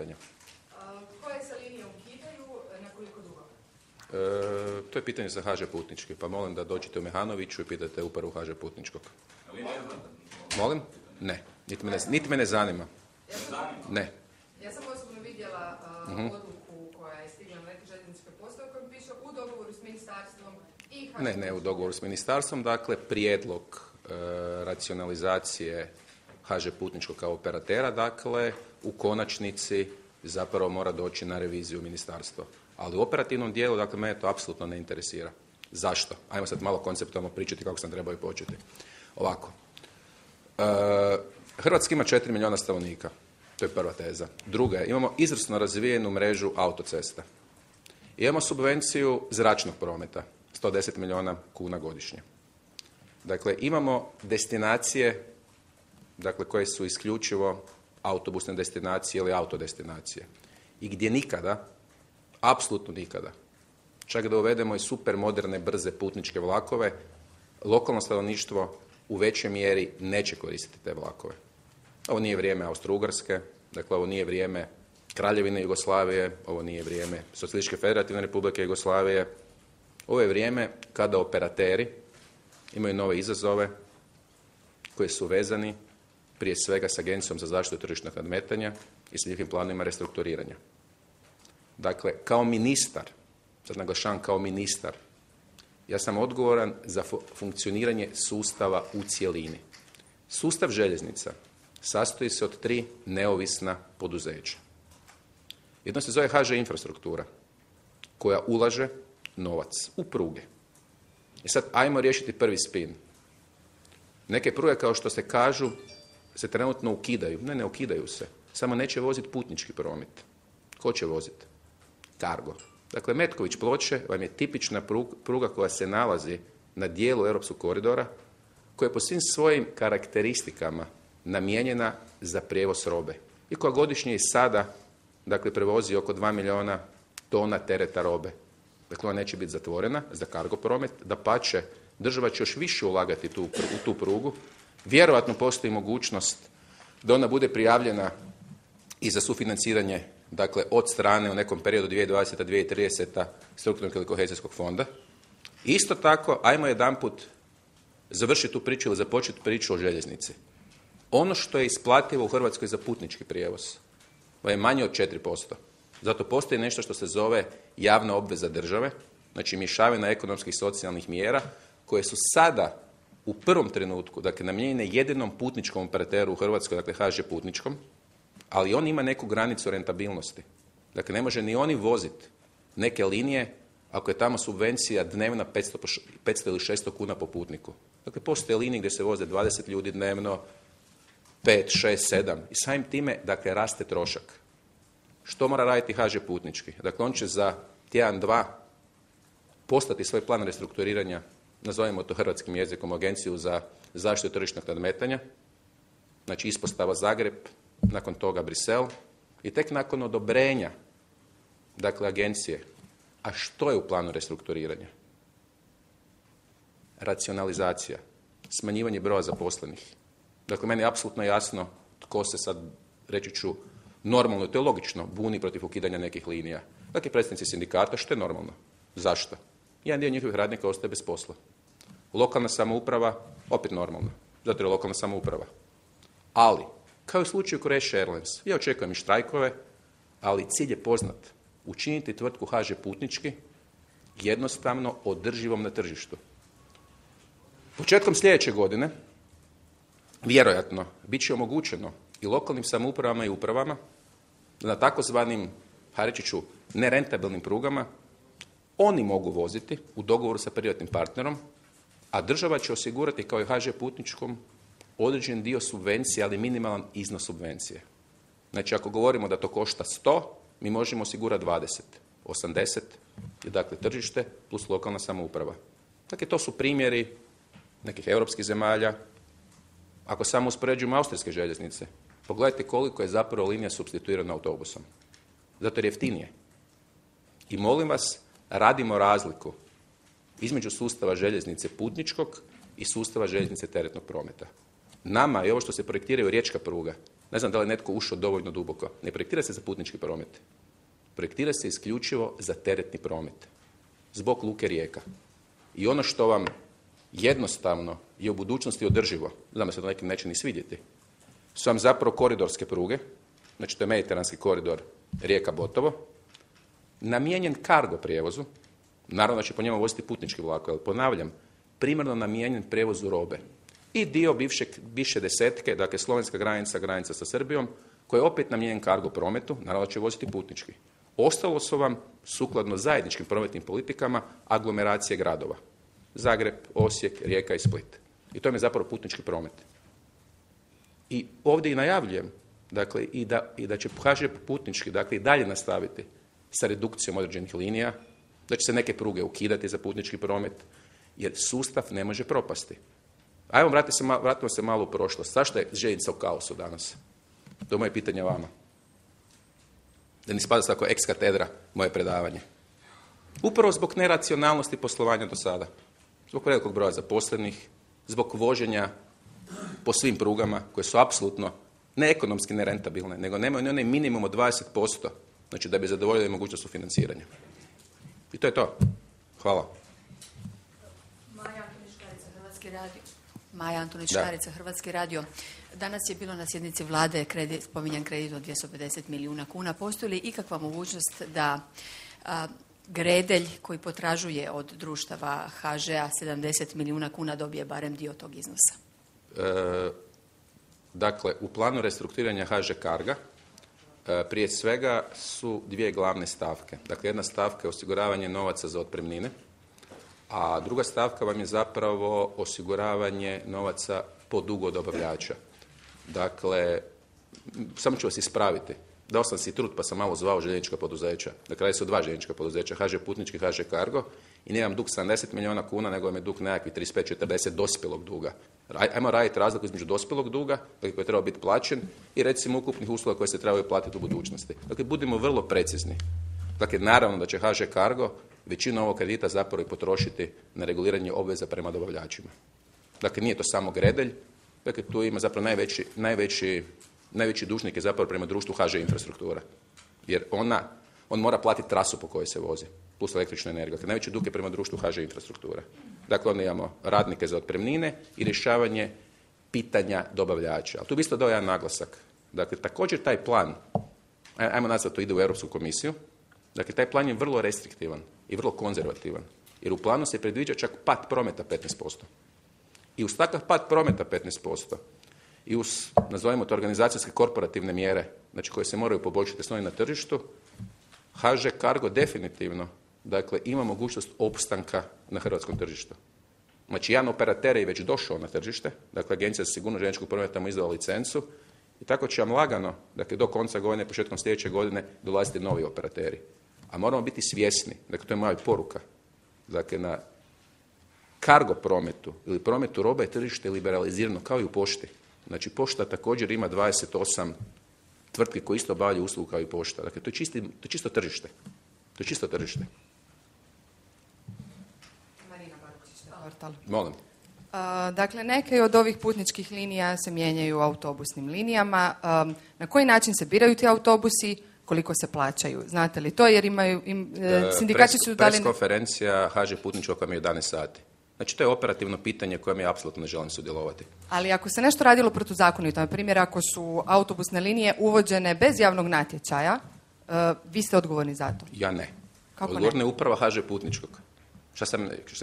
pitanja. Koje se linije ukidaju, na koliko dugo? To je pitanje za HŽ Putnički, pa molim da dođete u Mehanoviću i pitate upravu HŽ Putničkog. Molim? Ne, niti me ne zanima. Ne. Ja sam osobno vidjela odluku koja je stigla na neke željezničke postaje u kojem piše u dogovoru s ministarstvom i HŽ. Ne u dogovoru s ministarstvom, dakle prijedlog racionalizacije HŽ Putničkog kao operatera, dakle u konačnici zapravo mora doći na reviziju ministarstva. Ali u operativnom dijelu, dakle, mene to apsolutno ne interesira. Zašto? Ajmo sad malo konceptualno pričati kako sam trebao i početi. Ovako. Hrvatska ima 4 milijuna stanovnika. To je prva teza. Druga je, imamo izvrsno razvijenu mrežu autocesta. Imamo subvenciju zračnog prometa. 110 milijuna kuna godišnje. Dakle, imamo destinacije, dakle, koje su isključivo autobusne destinacije ili autodestinacije. I gdje nikada, apsolutno nikada, čak da uvedemo i super moderne, brze putničke vlakove, lokalno stanovništvo u većoj mjeri neće koristiti te vlakove. Ovo nije vrijeme Austro-Ugarske, dakle ovo nije vrijeme Kraljevine Jugoslavije, ovo nije vrijeme Socijalističke federativne republike Jugoslavije. Ovo je vrijeme kada operateri imaju nove izazove koji su vezani prije svega s Agencijom za zaštitu tržišnog nadmetanja i s njihovim planovima restrukturiranja. Dakle, kao ministar, sad naglašavam kao ministar, ja sam odgovoran za funkcioniranje sustava u cjelini. Sustav željeznica sastoji se od 3 neovisna poduzeća. Jedno se zove HŽ Infrastruktura, koja ulaže novac u pruge. I sad ajmo riješiti prvi spin. Neke pruge, kao što se kažu, se trenutno ukidaju. Ne ukidaju se. Samo neće voziti putnički promet. Ko će voziti? Cargo. Dakle, Metković Ploče vam je tipična pruga koja se nalazi na dijelu europskog koridora, koja je po svim svojim karakteristikama namijenjena za prijevoz robe i koja godišnje i sada, dakle, prevozi oko 2 milijuna tona tereta robe. Dakle, ona neće biti zatvorena za cargo promet, dapače, država će još više ulagati u tu prugu. Vjerojatno postoji mogućnost da ona bude prijavljena i za sufinanciranje, dakle, od strane u nekom periodu 2020-2030 strukturnog ili kohezijskog fonda. Isto tako, ajmo jedanput završiti tu priču ili započeti priču o željeznici. Ono što je isplativo u Hrvatskoj za putnički prijevoz je manje od 4%. Zato postoji nešto što se zove javna obveza države, znači mješavina ekonomskih i socijalnih mjera koje su sada u prvom trenutku, dakle, namijenjene jedinom putničkom operateru u Hrvatskoj, dakle HŽ Putničkom, ali on ima neku granicu rentabilnosti. Dakle, ne može ni oni voziti neke linije ako je tamo subvencija dnevna 500 ili 600 kuna po putniku. Dakle, postoje linije gdje se voze 20 ljudi dnevno, 5, 6, 7 i samim time, dakle, raste trošak. Što mora raditi HŽ Putnički? Dakle, on će za tjedan, 2 postati svoj plan restrukturiranja, nazovimo to hrvatskim jezikom, Agenciju za zaštitu tržišnog nadmetanja, znači ispostava Zagreb, nakon toga Brisel i tek nakon odobrenja, dakle, agencije. A što je u planu restrukturiranja? Racionalizacija, smanjivanje broja zaposlenih. Dakle, meni je apsolutno jasno tko se sad, reći ću, normalno, to je logično, buni protiv ukidanja nekih linija. Dakle, predstavnici sindikata, što je normalno. Zašto? Jedan dio njihovih radnika ostaje bez posla. Lokalna samouprava, opet normalno, zato je lokalna samouprava. Ali, kao i u slučaju Croatia Airlines, ja očekujem i štrajkove, ali cilj je poznat. Učiniti tvrtku HŽ Putnički jednostavno održivom na tržištu. Početkom sljedeće godine, vjerojatno, bit će omogućeno i lokalnim samoupravama i upravama da na takozvanim, reći ću, nerentabilnim prugama oni mogu voziti u dogovoru sa privatnim partnerom, a država će osigurati kao i HŽ Putničkom određen dio subvencije, ali minimalan iznos subvencije. Znači, ako govorimo da to košta 100, mi možemo osigurati 20, 80, je dakle tržište plus lokalna samouprava. Dakle, to su primjeri nekih europskih zemalja. Ako samo uspoređujemo austrijske željeznice, pogledajte koliko je zapravo linija supstituirana autobusom. Zato je jeftinije. I molim vas, radimo razliku između sustava željeznice putničkog i sustava željeznice teretnog prometa. Nama je ovo što se projektiraju riječka pruga Ne znam da li je netko ušao dovoljno duboko. Ne projektira se za putnički promet. Projektira se isključivo za teretni promet. Zbog luke Rijeka. I ono što vam jednostavno je u budućnosti održivo, znam da se to nekim neće ni svidjeti, su vam zapravo koridorske pruge, znači to je mediteranski koridor Rijeka-Botovo, namijenjen kargo prijevozu, naravno da će po njemu voziti putnički vlak, ali ponavljam, primarno namijenjen prijevozu robe. I dio bivše desetke, dakle slovenska granica, granica sa Srbijom, koji je opet namijenjen kargo prometu, naravno da će voziti putnički. Ostalo su vam, sukladno zajedničkim prometnim politikama, aglomeracije gradova. Zagreb, Osijek, Rijeka i Split. I to je zapravo putnički promet. I ovdje i najavljujem, dakle, i da će HŽ putnički, dakle, i dalje nastaviti sa redukcijom određenih linija, da će se neke pruge ukidati za putnički promet, jer sustav ne može propasti. Ajmo, vratimo se malo u prošlost. Zašto je željeznica u kaosu danas? To je moje pitanje vama. Da ne spada tako ex katedra moje predavanje. Upravo zbog neracionalnosti poslovanja do sada. Zbog velikog broja zaposlenih, zbog voženja po svim prugama koje su apsolutno ne ekonomski nerentabilne, nego nemaju ni onaj minimum od 20%, znači da bi zadovoljili mogućnost financiranja. I to je to. Hvala. Maja Antonić Škarica, Hrvatski radio. Danas je bilo na sjednici vlade spominjan kredit od 250 milijuna kuna. Postoji li ikakva mogućnost da Gredelj koji potražuje od društava HŽ-a 70 milijuna kuna dobije barem dio tog iznosa? Dakle, u planu restrukturiranja HŽ Carga prije svega su dvije glavne stavke. Dakle, jedna stavka je osiguravanje novaca za otpremnine, a druga stavka vam je zapravo osiguravanje novaca po dugu od dobavljača. Dakle, samo ću vas ispraviti. Dao sam si trud pa sam malo zvao željeznička poduzeća. Dakle, radi se o dva željeznička poduzeća, HŽ Putnički, HŽ Cargo, i nije vam dug 70 milijuna kuna, nego vam je dug nekakvih 35-40 dospjelog duga. Ajmo raditi razliku između dospjelog duga, dakle, koji je trebao biti plaćen, i recimo ukupnih usluga koje se trebaju platiti u budućnosti. Dakle, budimo vrlo precizni. Dakle, naravno da će HŽ Cargo većinu ovog kredita zapravo i potrošiti na reguliranje obveza prema dobavljačima. Dakle, nije to samo Gredelj, dakle, tu ima zapravo najveći dužnik je zapravo prema društvu HŽ Infrastruktura. Jer on mora platiti trasu po kojoj se vozi, plus električnu energiju. Dakle, najveći dug je prema društvu HŽ Infrastruktura. Dakle, onda imamo radnike za otpremnine i rješavanje pitanja dobavljača. Ali tu bi isto dao jedan naglasak. Dakle, također taj plan, ajmo nazvati to ide u Europsku komisiju, dakle, taj plan je vrlo restriktivan i vrlo konzervativan. Jer u planu se predviđa čak pad prometa 15%. I uz takav pad prometa 15%, i uz, nazovimo to, organizacijske korporativne mjere, znači koje se moraju poboljšati s novim na tržištu, HŽ Cargo definitivno, dakle, ima mogućnost opstanka na hrvatskom tržištu. Znači, jedan operater je već došao na tržište, dakle, Agencija za sigurnost željezničkog prometa mu izdala licencu, i tako će vam lagano, dakle, do konca godine, početkom sljedeće godine, dolaziti novi operateri. A moramo biti svjesni, dakle, to je moja poruka, dakle, na kargo prometu ili prometu robe je tržište liberalizirano kao i u pošti. Znači, pošta također ima 28 tvrtki koje isto obavljaju uslugu kao i pošta. Dakle, to je čisto tržište. To je čisto tržište. Marina Barković. Molim. Dakle, neke od ovih putničkih linija se mijenjaju autobusnim linijama. Na koji način se biraju ti autobusi? Koliko se plaćaju? Znate li to? Jer sindikati su dali... Preskonferencija HŽ Putničkog vam je 11 sati. Znači, to je operativno pitanje kojem ja apsolutno ne želim sudjelovati. Ali ako se nešto radilo protuzakonito, na primjer ako su autobusne linije uvođene bez javnog natječaja, vi ste odgovorni za to? Ja ne. Kako odgovorna je uprava HŽ Putničkog.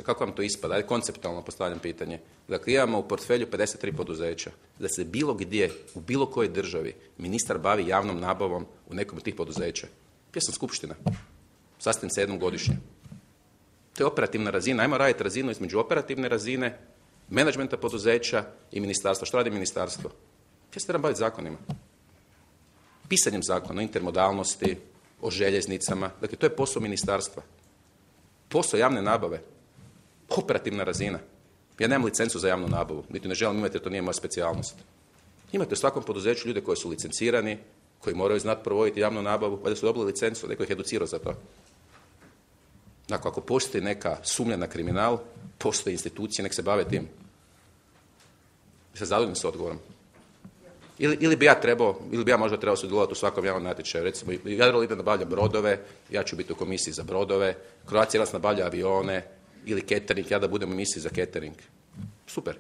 Kako vam to ispada? Ajde, konceptualno postavljam pitanje. Dakle, imamo u portfelju 53 poduzeća. Da se bilo gdje, u bilo kojoj državi, ministar bavi javnom nabavom u nekom od tih poduzeća. Ja sam skupština. Sastavim se jednom godišnje. To je operativna razina. Ajmo raditi razinu između operativne razine, menadžmenta poduzeća i ministarstva. Što radi ministarstvo? Ja se trebam baviti zakonima. Pisanjem zakona o intermodalnosti, o željeznicama. Dakle, to je posao ministarstva. Posao javne nabave. Operativna razina. Ja nemam licencu za javnu nabavu. Niti ne želim imati, jer to nije moja specijalnost. Imate u svakom poduzeću ljude koji su licencirani, koji moraju znati provoditi javnu nabavu, pa da su dobili licencu, neko ih educirao za to. Dakle, ako postoji neka sumnja na kriminal, postoje institucije, nek se bave tim. Se zadovoljni s odgovorom? Ili bi ja možda trebao sudjelovati u svakom javnom natječaju. Recimo, Jadrolinija nabavlja brodove, ja ću biti u komisiji za brodove, Croatia Airlines nabavlja avione, ili catering, ja da budem u emisiji za catering. Super.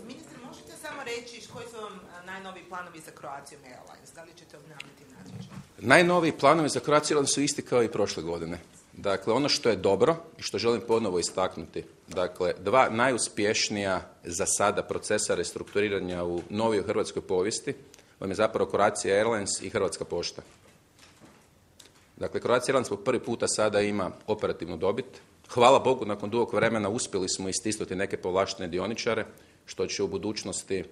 Ministre, možete samo reći koji su vam najnoviji planovi za Croatia Airlines? Da li ćete obnavljati natječaj? Najnoviji planovi za Croatia Airlines su isti kao i prošle godine. Dakle, ono što je dobro i što želim ponovo istaknuti, dakle, dva najuspješnija za sada procesa restrukturiranja u novijoj hrvatskoj povijesti vam je zapravo Croatia Airlines i Hrvatska pošta. Dakle, Croatia Airlines po prvi puta sada ima operativnu dobit. Hvala Bogu, nakon dugog vremena uspjeli smo istisnuti neke povlaštene dioničare, što će u budućnosti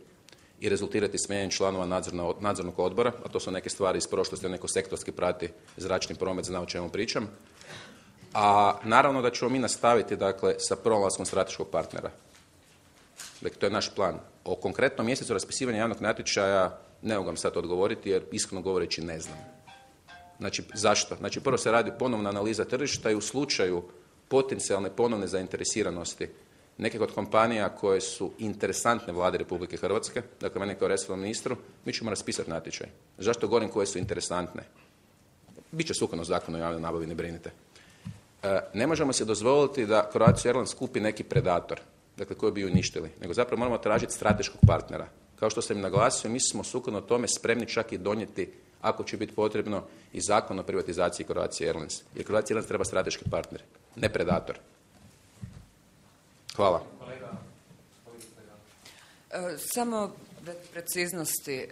i rezultirati smijenjem članova nadzornog odbora, a to su neke stvari iz prošlosti, neko sektorski prati zračni promet, zna o čemu pričam. A naravno da ćemo mi nastaviti, dakle, sa pronalaskom strateškog partnera. Dakle, to je naš plan. O konkretnom mjesecu raspisivanja javnog natječaja ne mogu vam sad odgovoriti, jer iskreno govoreći ne znam. Znači, zašto? Znači, prvo se radi ponovna analiza tržišta i u slučaju potencijalne ponovne zainteresiranosti nekih od kompanija koje su interesantne vlade Republike Hrvatske, dakle mene kao resornom ministru, mi ćemo raspisati natječaj. Zašto govorim koje su interesantne? Biće sukladno zakonu o javnoj nabavi, ne brinite. Ne možemo se dozvoliti da Croatia Airlines kupi neki predator, dakle koji bi ju uništili, nego zapravo moramo tražiti strateškog partnera. Kao što sam im naglasio, mi smo sukladno tome spremni čak i donijeti, ako će biti potrebno, i zakon o privatizaciji Croatia Airlines. Jer Croatia Airlines treba strateški partner, ne predator. Hvala. Samo preciznosti.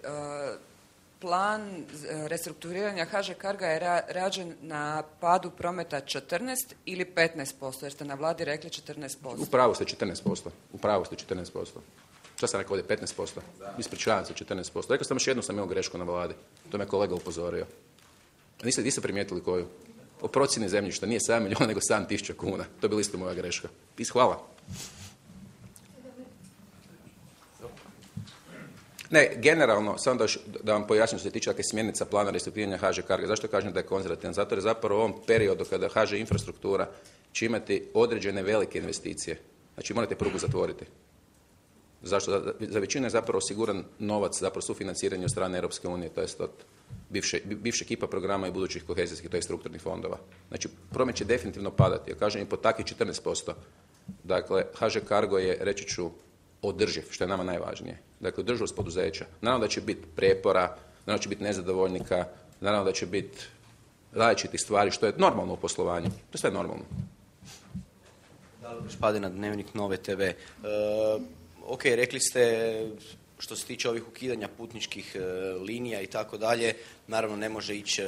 Plan restrukturiranja HŽ Carga je rađen na padu prometa 14 ili 15%, jer ste na vladi rekli 14%. U pravu ste 14%. Šta sam rekao ovdje, 15%? Ispričavam se, 14%. Rekao sam još jednu sam imao grešku na vladi. To me kolega upozorio. Niste primijetili koju? O procjeni zemljišta. Nije 7 milijuna, nego 7.000 kuna. To je bila isto moja greška. Hvala. Ne, generalno, samo da vam pojasnim što se tiče smjernica plana restrukturiranja HŽ Carga. Zašto kažem da je konzervativan? Zato jer zapravo u ovom periodu kada HŽ infrastruktura će imati određene velike investicije. Znači morate prugu zatvoriti. Zašto? Za većinu je zapravo osiguran novac, zapravo sufinanciranje od strane Europske unije, to jest od bivšeg IPA programa i budućih kohezijskih, to je strukturnih fondova. Znači, promet će definitivno padati. Ja kažem i po takvih 14%. Dakle, HŽ Cargo je, reći ću, održiv, što je nama najvažnije. Dakle, održivost poduzeća. Naravno da će biti prijepora, naravno da će biti nezadovoljnika, naravno da će biti različitih stvari, što je normalno u poslovanju. To je sve normalno. Dalibor Špadina, Dnevnik Nove TV. Ok, rekli ste što se tiče ovih ukidanja putničkih linija i tako dalje, naravno ne može ići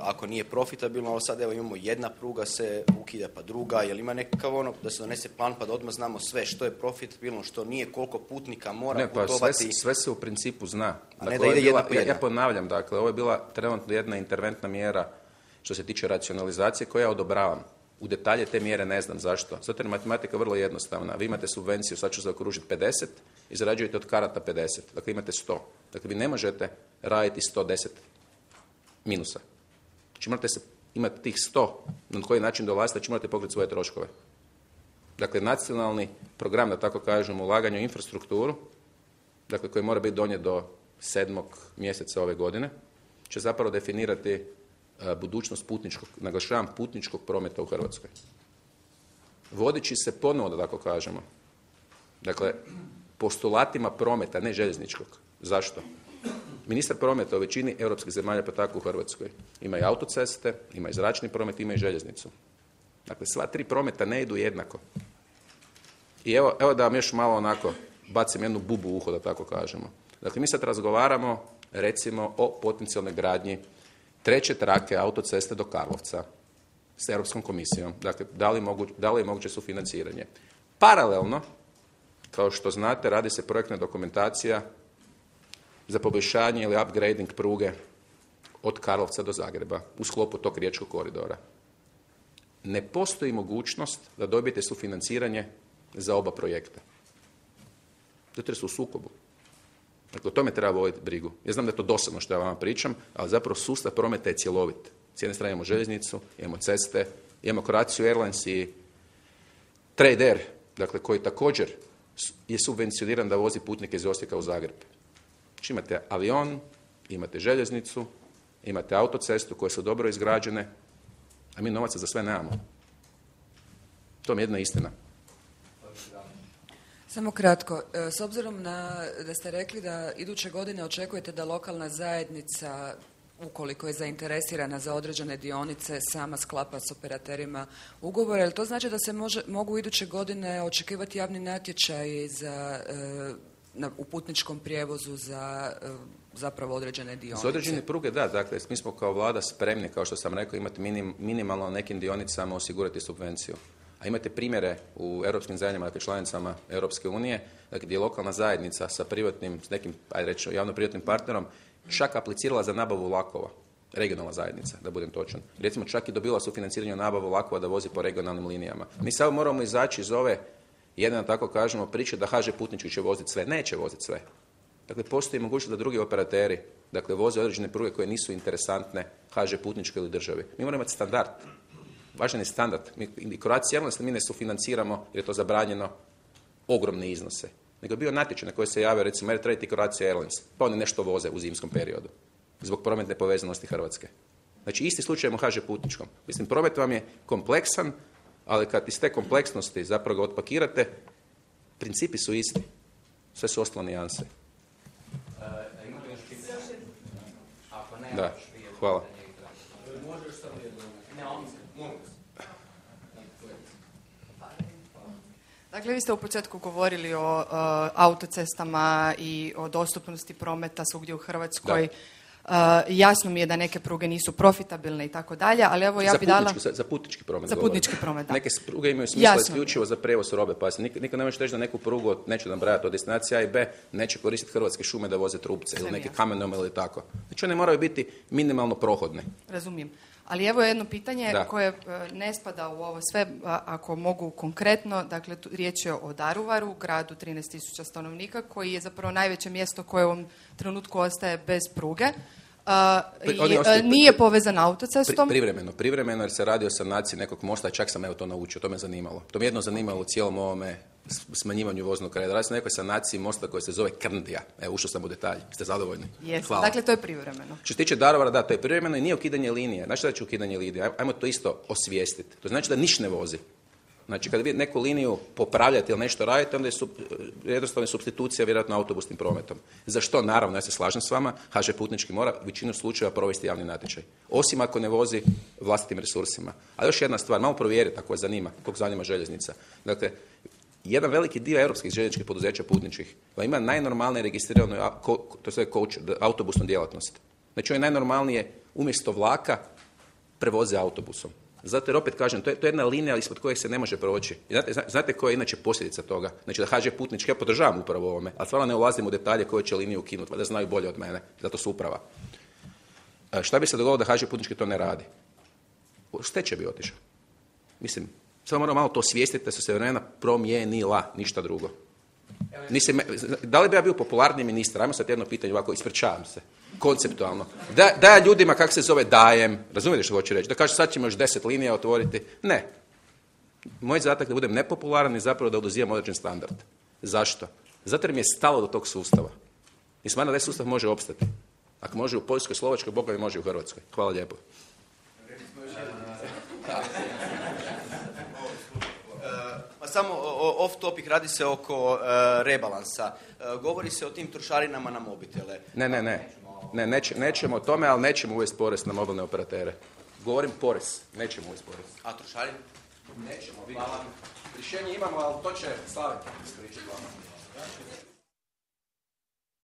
ako nije profitabilno, ali sad evo imamo jedna pruga se ukida pa druga, jel ima nekakav ono da se donese plan pa da odmah znamo sve što je profitabilno, što nije, koliko putnika mora putovati. Sve se u principu zna. A ne da ide jedna po jedna. Ja ponavljam, dakle, ovo je bila trenutno jedna interventna mjera što se tiče racionalizacije koju ja odobravam. U detalje te mjere ne znam zašto. Zato je matematika vrlo jednostavna. Vi imate subvenciju, sad ću zaokružiti 50 i zarađujete od karata 50. Dakle, imate 100. Dakle, vi ne možete raditi 110 minusa. Znači, morate imati tih 100 na koji način dolazite, znači morate pokriti svoje troškove. Dakle, nacionalni program, da tako kažem, ulaganja u infrastrukturu, dakle, koji mora biti donijet do 7. mjeseca ove godine, će zapravo definirati budućnost putničkog, naglašavam, putničkog prometa u Hrvatskoj. Vodići se ponovo, da tako kažemo, dakle, postulatima prometa, ne željezničkog. Zašto? Ministar prometa u većini europskih zemalja, pa tako u Hrvatskoj, ima i autoceste, ima i zračni promet, ima i željeznicu. Dakle, sva tri prometa ne idu jednako. I evo da vam još malo onako bacim jednu bubu u uho, da tako kažemo. Dakle, mi sad razgovaramo, recimo, o potencijalnoj gradnji 3. trake autoceste do Karlovca s Europskom komisijom. Dakle, da li je moguće sufinanciranje? Paralelno, kao što znate, radi se projektna dokumentacija za poboljšanje ili upgrading pruge od Karlovca do Zagreba u sklopu tog riječkog koridora. Ne postoji mogućnost da dobijete sufinanciranje za oba projekta. Zato jer su u sukobu. Dakle, o tome treba voditi brigu. Ja znam da je to dosadno što ja vama pričam, ali zapravo sustav prometa je cjelovit. S jedne strane imamo željeznicu, imamo ceste, imamo Croatia Airlines i Trade Air, dakle koji također je subvencioniran da vozi putnike iz Osijeka u Zagreb. Znači imate avion, imate željeznicu, imate autocestu koje su dobro izgrađene, a mi novaca za sve nemamo. To mi je jedna istina. Samo kratko, s obzirom da ste rekli da iduće godine očekujete da lokalna zajednica, ukoliko je zainteresirana za određene dionice, sama sklapa s operaterima ugovore, jel to znači da se mogu iduće godine očekivati javni natječaj u putničkom prijevozu za zapravo određene dionice? Za određene pruge, da. Dakle, mi smo kao vlada spremni, kao što sam rekao, imati minimalno na nekim dionicama osigurati subvenciju. A imate primjere u europskim zemljama, dakle članicama Europske unije, dakle, gdje je lokalna zajednica sa privatnim, s nekim, ajde reći, javno-privatnim partnerom, čak aplicirala za nabavu vlakova. Regionalna zajednica, da budem točan. Recimo, čak i dobila sufinanciranje nabavu vlakova da vozi po regionalnim linijama. Mi samo moramo izaći iz ove, jedna tako kažemo, priče da HŽ Putnički će voziti sve. Neće voziti sve. Dakle, postoji mogućnost da drugi operateri, dakle, voze određene pruge koje nisu interesantne HŽ Putničkoj ili državi. Mi moramo imati standard. Važan je standard. Mi Croatia Airlines mi ne sufinanciramo jer je to zabranjeno ogromne iznose. Nego je bio natječaj na koji se javio recimo Air Trade i Croatia Airlines. Pa oni nešto voze u zimskom periodu. Zbog prometne povezanosti Hrvatske. Znači isti slučaj u HŽ Putničkom. Mislim, promet vam je kompleksan, ali kad iz te kompleksnosti zapravo ga otpakirate, principi su isti. Sve su ostalo nijanse. Da, hvala. Dakle, vi ste u početku govorili o autocestama i o dostupnosti prometa svugdje u Hrvatskoj. Jasno mi je da neke pruge nisu profitabilne i tako dalje, ali evo ja bi dala... Za putnički promet. Za putnički promet, da. Neke pruge imaju smisla isključivo za prijevoz robe. Pa nikad ne možeš reći da neku prugu, neću nabrajati od destinacije A i B, neće koristiti Hrvatske šume da voze trupce ili neke kamenome ili tako. Znači one moraju biti minimalno prohodne. Razumijem. Ali evo jedno pitanje koje ne spada u ovo sve, ako mogu konkretno, dakle riječ je o Daruvaru, gradu 13.000 stanovnika, koji je zapravo najveće mjesto koje u ovom trenutku ostaje bez pruge. Nije povezan autocestom. Privremeno jer se radi o sanaciji nekog mosta, čak sam to naučio, to me zanimalo. To me jedno zanimalo u cijelom ovome smanjivanju voznog reda. Radi se o nekoj sanaciji mosta koja se zove Krndija. Evo, ušao sam u detalj. Ste zadovoljni? Hvala. Dakle, to je privremeno. Što se tiče Daruvara, da, to je privremeno i nije ukidanje linije. Znači da će ukidanje linije? Ajmo to isto osvijestiti. To znači da niš ne vozi. Znači, kada vi neku liniju popravljate ili nešto radite, onda je jednostavno supstitucija vjerojatno autobusnim prometom. Za što? Naravno, ja se slažem s vama, HŽ Putnički mora u većinu slučajeva provesti javni natječaj. Osim ako ne vozi vlastitim resursima. A još jedna stvar, malo provjeriti ako vas zanima, koliko zanima željeznica. Dakle, jedan veliki dio europskih željezničkih poduzeća putničkih ima najnormalnije registriranu autobusnu djelatnost. Znači, oni najnormalnije umjesto vlaka prevoze autobusom. Zato jer opet kažem, to je jedna linija ispod koje se ne može proći. Znate koja je inače posljedica toga? Znači da HŽ Putnički, ja podržavam upravo ovome, ali stvarno ne ulazim u detalje koje će liniju ukinuti, da znaju bolje od mene, zato su uprava. Šta bi se dogodilo da HŽ Putnički to ne radi? Stečaj bi otišao. Mislim, samo moramo malo to osvijestiti da su se vremena promijenila, ništa drugo. Da li bi ja bio popularniji ministar? Ajmo sad jedno pitanje ovako, ispričavam se. Konceptualno. Da ja ljudima, kak se zove, dajem, razumijete što hoću reći? Da kažu sad ćemo još 10 linija otvoriti. Ne. Moj zadatak da budem nepopularan i zapravo da oduzimam određen standard. Zašto? Zato jer mi je stalo do tog sustava. I smatram da sustav može opstati. Ako može u Poljskoj, Slovačkoj, Boga mi može i u Hrvatskoj. Hvala lijepo. Samo off topic, radi se oko rebalansa. Govori se o tim trošarinama na mobitele. Ne, nećemo o tome, ali nećemo uvesti porez na mobilne operatere. Govorim porez, nećemo uvesti porez. A trošarine? Nećemo, vidjeti. Rješenje imamo, ali to će Slaven ispričati vama.